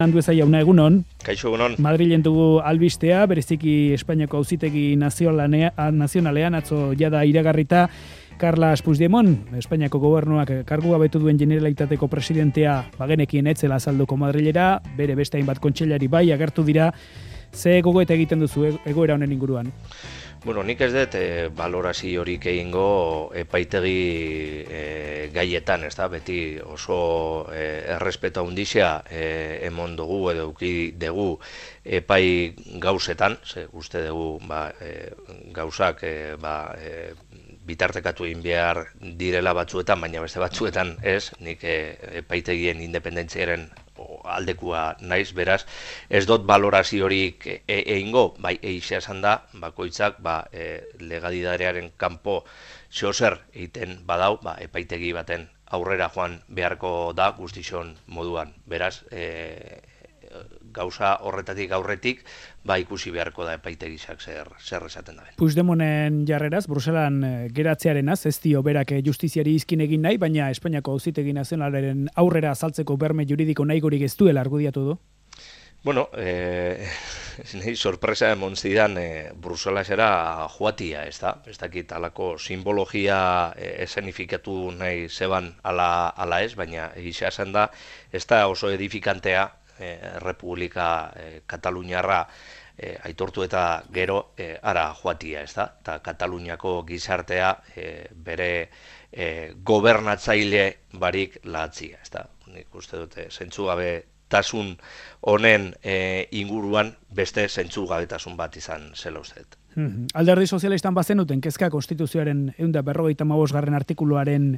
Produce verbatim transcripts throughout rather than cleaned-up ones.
Andueza jauna egunon. Kaixo egunon. Madrilen dugu albistea, bereziki Espainiako auzitegi nazionalean atzo jada iragarrita Carles Puigdemont, Espainiako gobernuak kargu gabetu duen Generalitateko presidentea bagenekien etzela azalduko Madrilera, bere beste hainbat kontseilari bai agertu dira. Ze gogoeta egiten duzu egoera honen inguruan? Bueno, nik ez dut e, balorazio horik egingo epaitegi e, gaietan, ez da, beti oso e, errespeto handizia e, emon dugu edo uki dugu epai gauzetan, ze uste dugu ba, e, gauzak e, ba, e, bitartekatu egin behar direla batzuetan, baina beste batzuetan ez, nik e, epaitegien independentziaren aldekua naiz, beraz, ez dut balorazio horik egingo, bai, eixea esan da, bakoitzak, ba, e, legalidadearen kanpo zeozer egiten badau, ba, epaitegi baten aurrera joan beharko da guztixon moduan. Beraz, e, gauza horretatik aurretik, ba, ikusi beharko da epaitegizak zer, zer esaten da. Puigdemonten jarreraz, Bruselan geratzearenaz, ez dio berak justiziari izkin egin nahi, baina Espainiako auzitegi nazionalaren aurrera azaltzeko berme juridiko nahigorik ez duela argudiatu du? Bueno, eh, nahi sorpresa emon zidan eh, Bruselasera joatia, ez da? Ez dakit alako simbologia eh, esenifikatu nahi zeban ala, ala ez, baina egisa esan da, ez da oso edifikantea eh, Republika eh, Kataluniarra eh, aitortu eta gero eh, ara joatia, ez da? Eta Kataluniako gizartea eh, bere eh, gobernatzaile barik lahatzia, ez da? Nik uste dute, zentzu gabe tasun honen e, inguruan beste zentzugabetasun bat izan zela usteet. Hmm. Alderdi sozialistan bazenuten kezka konstituzioaren ehun eta berrogeita hamabosgarren artikuluaren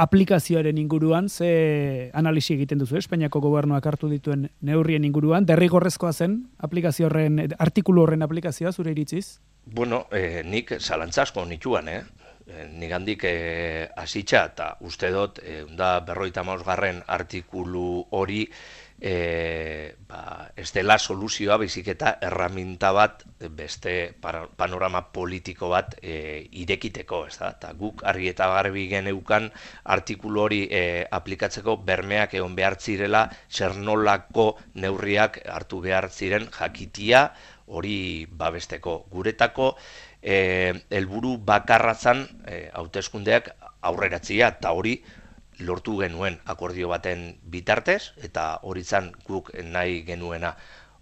aplikazioaren inguruan, ze analisi egiten duzu, Espainiako gobernuak hartu dituen neurrien inguruan, derrigorrezkoa zen aplikazio horren, artikulu horren aplikazioa zure iritziz? Bueno, eh, nik zalantzasko nituan, eh? Nik handik eh, asitxa eta uste dut eh, da berrogeita hamabosgarren artikulu hori E, ba, ez dela soluzioa baizik eta erraminta bat beste panorama politiko bat e, irekiteko, ez da? Ta guk argi eta garbi geneukan artikulu hori e, aplikatzeko bermeak egon behar zirela, zer nolako neurriak hartu behar ziren jakitia hori babesteko. Guretako e, helburu bakarratzan e, hauteskundeak aurreratzea eta hori lortu genuen akordio baten bitartez, eta hori zan guk nahi genuena.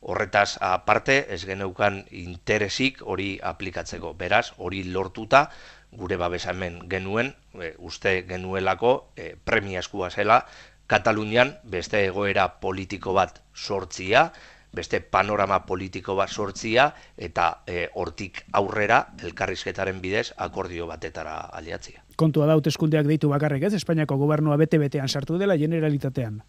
Horretaz aparte, ez geneukan interesik hori aplikatzeko. Beraz, hori lortuta, gure babesamen genuen, e, uste genuelako e, premiazkoa zela, Katalunian beste egoera politiko bat sortzia, beste panorama politiko bat sortzia, eta e, hortik aurrera elkarrizketaren bidez akordio batetara aliatzia. Kontua da hauteskundeak deitu bakarrik ez, Espainiako gobernua bete-betean sartu dela Generalitatean.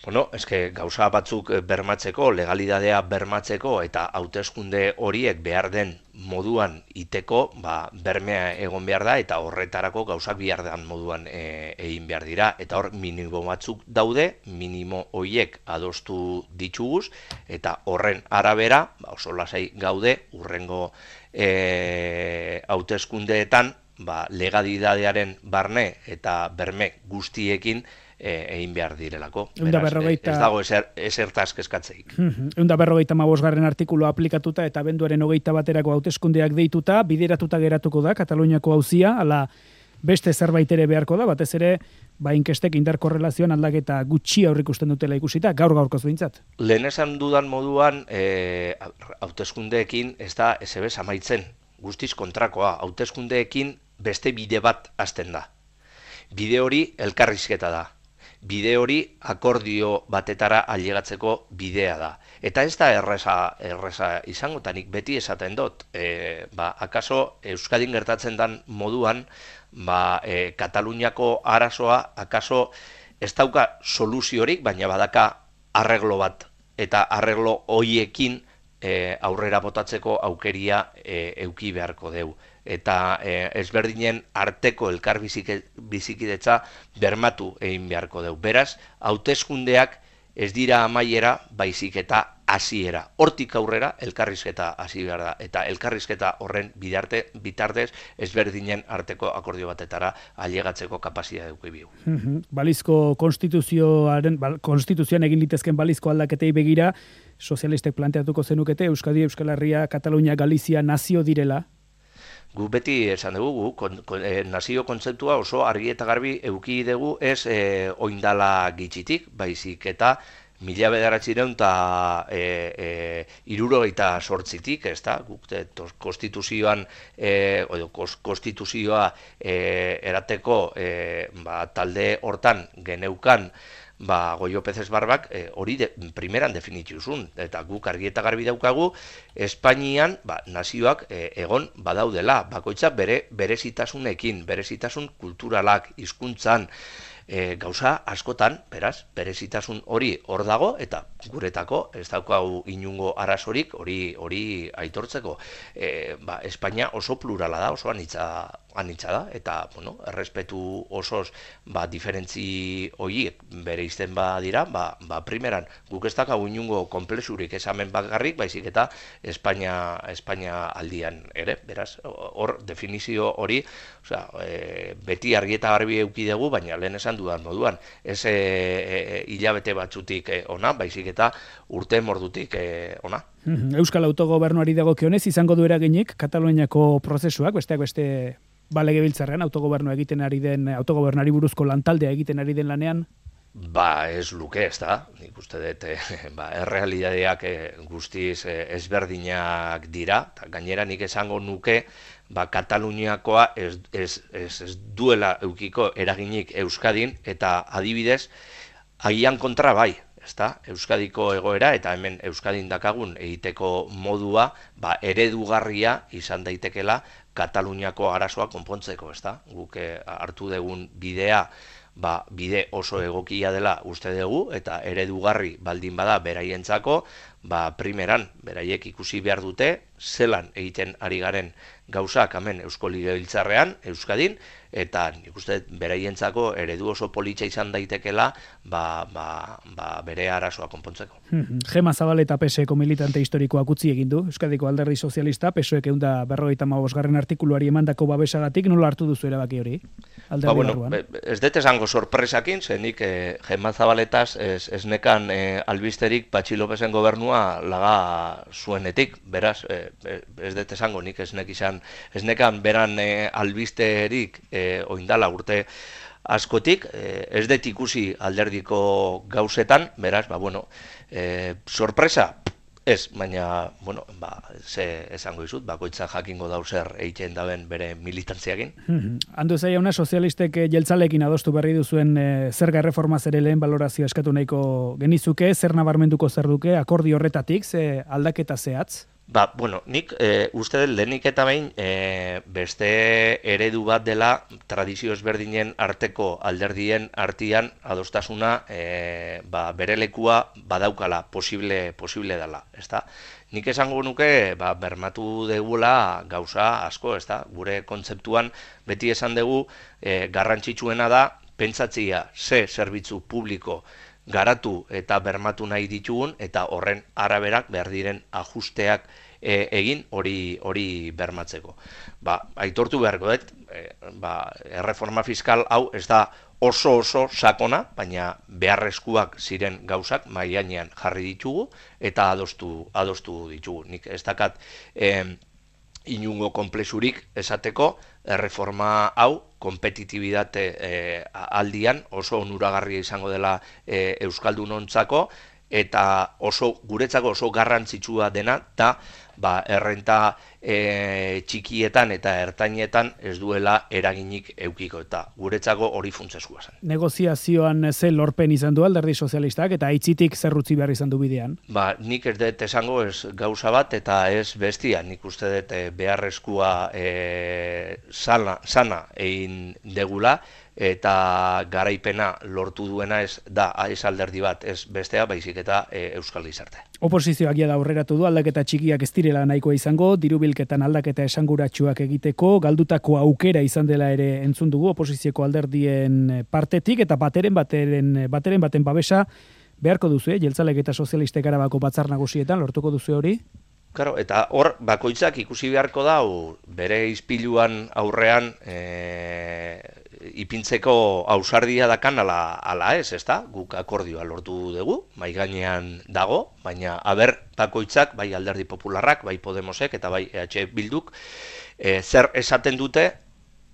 Bueno, eske gauza batzuk bermatzeko, legalidadea bermatzeko eta hauteskunde horiek behar den moduan iteko, ba, bermea egon behar da eta horretarako gauzak behar den moduan e, egin behar dira. Eta hor minimo batzuk daude, minimo horiek adostu dituguz eta horren arabera, ba, oso lasai gaude, urrengo e, hauteskundeetan, ba, legalidadearen barne eta berme guztiekin egin behar direlako. Beraz, berrogeita... ez dago ezer, ezertaz kezkatzeik. Ehun eta berrogeita hamabosgarren artikulu aplikatuta eta abenduaren hogeita baterako hauteskundeak deituta, bideratuta geratuko da Kataluniako auzia, ala beste zerbait ere beharko da, batez ere ba inkestek indar korrelazioan aldaketa gutxi aurrikusten dutela ikusita, gaur gaurkoz behintzat. Lehen esan dudan moduan, e, hauteskundeekin ez da ezebez amaitzen, guztiz kontrakoa, hauteskundeekin beste bide bat hasten da. Bide hori elkarrizketa da. Bide hori akordio batetara ailegatzeko bidea da. Eta ez da erresa, erresa izango, eta nik beti esaten dut. E, ba, akaso Euskadin gertatzen den moduan, ba, e, Kataluniako arazoa, akaso ez dauka soluziorik, baina badaka arreglo bat. Eta arreglo hoiekin e, aurrera botatzeko aukeria e, euki beharko deu. Eta e, ezberdinen arteko elkar bizikidetza bermatu egin beharko deu. Beraz, hauteskundeak ez dira amaiera, baizik eta hasiera. Hortik aurrera elkarrizketa hasi behar da, eta elkarrizketa horren bidarte, bitartez ezberdinen arteko akordio batetara ailegatzeko kapazitatea eduki bigu. Balizko konstituzioaren, konstituzioan egin litezken balizko aldaketei begira, sozialistek planteatuko zenukete Euskadi, Euskal Herria, Katalunia, Galizia nazio direla? Gu beti esan dugu, kon, kon, e, nazio kontzeptua oso argi eta garbi eduki dugu ez e, oindala gitxitik, baizik eta mila bederatzireun eta e, e, irurogeita sortzitik, ez da, guk konstituzioan, e, odo, konstituzioa e, erateko e, ba, talde hortan geneukan, ba, Goio Pezes Barbak hori e, de, primeran definituzun, eta guk argi eta garbi daukagu, Espainian ba, nazioak e, egon badaudela, bakoitzak bere berezitasunekin, berezitasun kulturalak, hizkuntzan, e, gauza askotan, beraz, berezitasun hori hor dago, eta guretako ez daukagu inungo arazorik hori hori aitortzeko. E, ba, Espainia oso plurala da, oso anitza anitza da, eta, bueno, errespetu osoz, ba, diferentzi horiek bere izten badira, ba, ba, primeran, guk ez dakagu inungo komplexurik esamen bakarrik, baizik eta Espainia, Espainia aldian ere, beraz, hor definizio hori, osea, e, beti argi eta garbi eduki dugu, baina lehen esan dudan moduan, ez e, e, hilabete batzutik e, ona, baizik eta urte mordutik e, ona. Euskal autogobernuari dagokionez izango du eraginik Kataluniako prozesuak, besteak beste balegebiltzarrean autogobernua egiten ari den, autogobernari buruzko lantaldea egiten ari den lanean? Ba, ez luke, ez da. Nik uste dut, eh, ba, errealidadeak eh, guztiz eh, ezberdinak dira. Ta, gainera nik esango nuke, ba, Kataluniakoa ez, ez, ez, ez duela eukiko eraginik Euskadin, eta adibidez, agian kontra bai. Ezta? Euskadiko egoera eta hemen Euskadin dakagun egiteko modua ba, eredugarria izan daitekela Kataluniako arazoa konpontzeko, ezta? Guk hartu dugun bidea ba, bide oso egokia dela uste dugu eta eredugarri baldin bada beraientzako, ba, primeran beraiek ikusi behar dute zelan egiten ari garen gauzak hemen Eusko Legebiltzarrean, Euskadin, eta nik uste beraientzako eredu oso politxa izan daitekela ba, ba, ba, bere arazoa konpontzeko. Gema Zabal eta P S Eko militante historikoak utzi egin du, Euskadiko Alderdi Sozialista, P S Oek eunda berrogeita hamabosgarren artikuluari emandako babesagatik, nola hartu duzu erabaki hori? Ba, bueno, ez dut esango sorpresakin, zenik eh, Gema Zabaletaz ez, ez nekan eh, albisterik Patxi Lópezen gobernua laga zuenetik, beraz, eh, ez dut esango nik ez nek izan, ez nekan beran eh, albisterik eh, oindala urte askotik, eh, ez dut ikusi alderdiko gauzetan, beraz, ba, bueno, eh, sorpresa, ez, baina, bueno, ba, ze esango izut, bakoitza jakingo dauzer egiten daben bere militantziakin. Andu zaila una sozialistek jeltzalekin adostu berri duzuen e, zerga erreformaz ere lehen balorazio eskatu nahiko genizuke, zer nabarmenduko zer duke, akordi horretatik, ze aldaketa zehatz? Ba, bueno, nik e, uste dut lehenik eta behin e, beste eredu bat dela tradizio ezberdinen arteko alderdien artian adostasuna e, ba, bere lekua badaukala posible, posible dela, ezta? Nik esango nuke ba, bermatu degula gauza asko, ezta? Gure kontzeptuan beti esan dugu e, garrantzitsuena da pentsatzia ze zerbitzu publiko garatu eta bermatu nahi ditugun eta horren araberak behar diren ajusteak e, egin hori hori bermatzeko. Ba, aitortu beharko dut, e, ba, erreforma fiskal hau ez da oso oso sakona, baina beharrezkoak ziren gauzak mahai gainean jarri ditugu eta adostu adostu ditugu. Nik ez dakat e, inungo konplexurik esateko erreforma hau kompetitibitate e, aldian oso onuragarria izango dela e, euskaldunontzako eta oso guretzako oso garrantzitsua dena da ba, errenta e, txikietan eta ertainetan ez duela eraginik eukiko eta guretzako hori funtsezkoa zen. Negoziazioan ze lorpen izan du Alderdi Sozialistak eta aitzitik zerrutzi behar izan du bidean? Ba, nik ez dut esango ez gauza bat eta ez bestia, nik uste dut beharrezkoa e, sana, sana egin degula eta garaipena lortu duena ez da ez alderdi bat ez bestea baizik eta e, euskal gizarte. Oposizioak ja da aurreratu du aldaketa txikiak ez direla nahikoa izango, dirubilketan aldaketa esanguratsuak egiteko, galdutako aukera izan dela ere entzun dugu oposizioko alderdien partetik eta bateren bateren bateren baten babesa beharko duzu, eh? Jeltzalek eta sozialistek Arabako batzar nagusietan, lortuko duzu hori? Claro, eta hor bakoitzak ikusi beharko dau bere izpiluan aurrean e, ipintzeko ausardia dakan ala, ala ez, ezta? Guk akordioa lortu dugu, mai gainean dago, baina aber bakoitzak, bai Alderdi Popularrak, bai Podemosek eta bai E H Bilduk, e, zer esaten dute,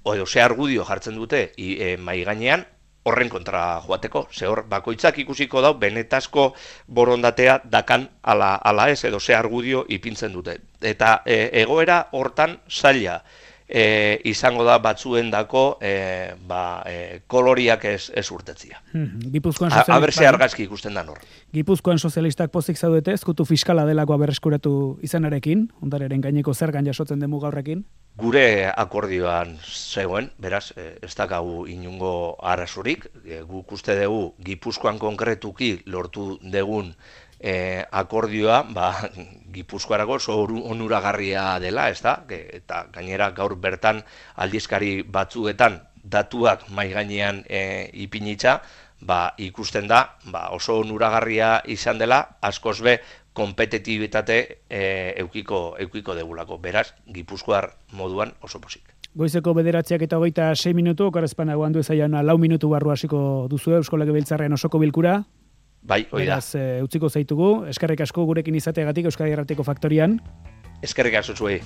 edo ze argudio jartzen dute e, mai gainean, horren kontra joateko, ze hor bakoitzak ikusiko dau benetazko borondatea dakan ala, ala ez, edo ze argudio ipintzen dute. Eta e, egoera hortan zaila e, izango da batzuendako e, ba, e, koloriak ez, ez urtetzia. Gipuzkoan sozialistak... Aber ze argazki ikusten da nor. Gipuzkoan sozialistak pozik zaudete, ezkutu fiskala delakoa berreskuratu izanarekin, ondareren gaineko zergan jasotzen demu gaurrekin? Gure akordioan zegoen, beraz, ez dakagu inungo arazurik, guk uste dugu Gipuzkoan konkretuki lortu degun e, akordioa, ba, Gipuzkoarako oso onuragarria dela, ez da? Eta gainera gaur bertan aldizkari batzuetan datuak mai gainean e, ipinitza, ba, ikusten da ba, oso onuragarria izan dela, askoz be kompetitibitate e, eukiko, eukiko degulako. Beraz, Gipuzkoar moduan oso posik. Goizeko bederatziak eta hogeita sei minutu, okarrezpan aguan du ezaian lau minutu barru hasiko duzu Eusko Legebiltzarrean osoko bilkura. Bai, hori da. Beraz, e, utziko zaitugu, eskerrik asko gurekin izateagatik Euskadi Irratiko Faktorian. Eskerrik asko zuei.